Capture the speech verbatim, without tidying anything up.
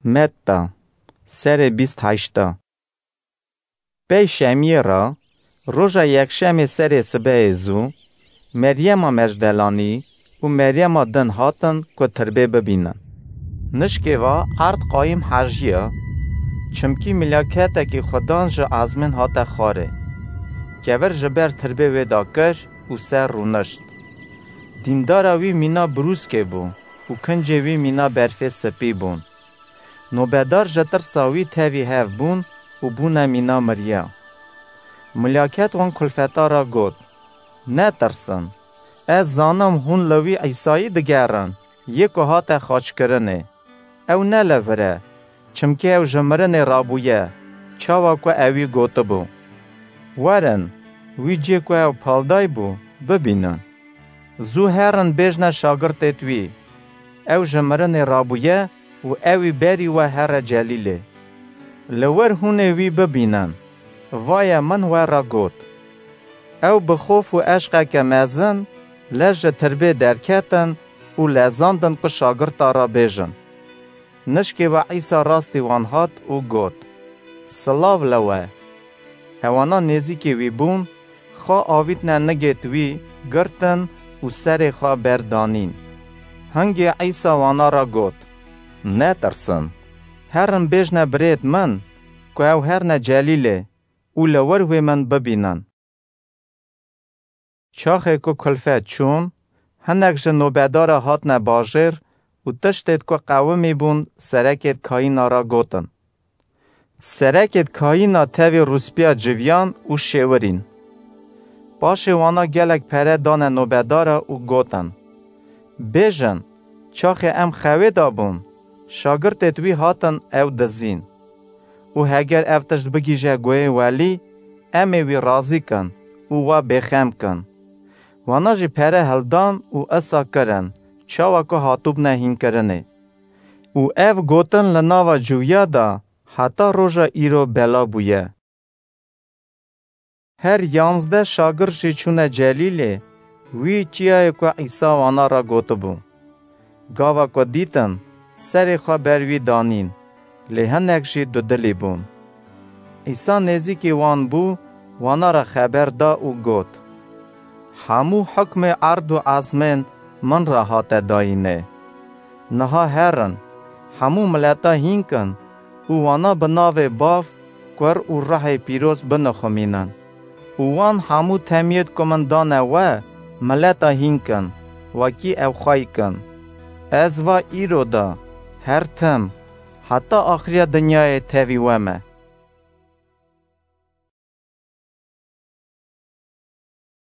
Metta, serê bîst heşta. Pey şemiyê re, roja yekşemê serê sibehê zû, Meryema Mecdelanî û Meryema din hatin ku tirbê bibînin. Nişkê ve erd qayîm hejiya, çimkî milaketekî Xudan ji ezmên hate xwarê. Kevir ji ber tirbê wê dakir û ser rûnişt. Dîndara wî mîna brûskê bû û kincê wî mîna berfê sipî bûn. Nobedar ji tirsa wî tevî hev bûn û bûne mîna miriya. Milaket wan kulfeta re got: "Netirsin. Ez zanim hûn li wî Îsayî digerin, yê ku hate xaçkirinê. Ew ne li vir e, çimkî ew ji mirinê rabûye, çawa ku ewî gotibû. Werin, wî cê ku ew paldayî bû, bibînin. Zû herin bêjne şagirtêd wî, ew ji mirinê rabûye û ewî berî we here Celîlê. Li wir hûn ê wî bibînin, vaye min we re got." Ew bi xof û eşqeke mezin lez ji tirbê derketin û lezandin ku şagirta re bêjin. Nişkê ve Îsa rastî wan hat û got: "Silav li we." Ewana nêzîkî wî bûn, xwe avîtine nigêd wî, girtin û serê xwe berdanîn. Hingê Îsa wana re got: "Netirsin. Herin bêjne birêd min ku ew herine Celîlê û li wir wê min bibînin." Çaxê ku kulfet çûn, hinek ji nobedara hatine bajêr û tiştêd ku qewimî bûn serekêd kayîna re gotin. Serekêd kayîna tevî rûspîya civiyan û şêwirîn. Paşê wana gelek pere dane nobedara û gotin: "Bêjin, çaxê em xewê de bûn, şagirtêd wî hatin ew dizîn. Û heger ev tişt bigihîje guhê welî, em ê wî razî kin û we bêxem kin." Wana jî pere hildan û isa kirin, çawa ku hatibûne hînkirinê. Û ev gotin li nava ciwiya de heta roja îro bela bûye. Her yanzdeh şagird jî çûne Celîlê, wî çiyayê ku Îsa wana re gotibû. Gava ku dîtin, serê xwe ber wî danîn, lê hinek jî dudilî bûn. Îsa nêzîkî wan bû, wana re xeber da û got: "Hemû hukmê erd û ezmên min re hate dayînê. Niha herin, hemû mileta hîn kin û wana bi navê Bav, Kur û Ruhê Pîroz binixumînin. Û wan hemû temiyêd ku min dane we, mileta hîn kin, wekî ew xwey kin. Ez va îro de, her tim, heta axiriya dinyayê tevî we me."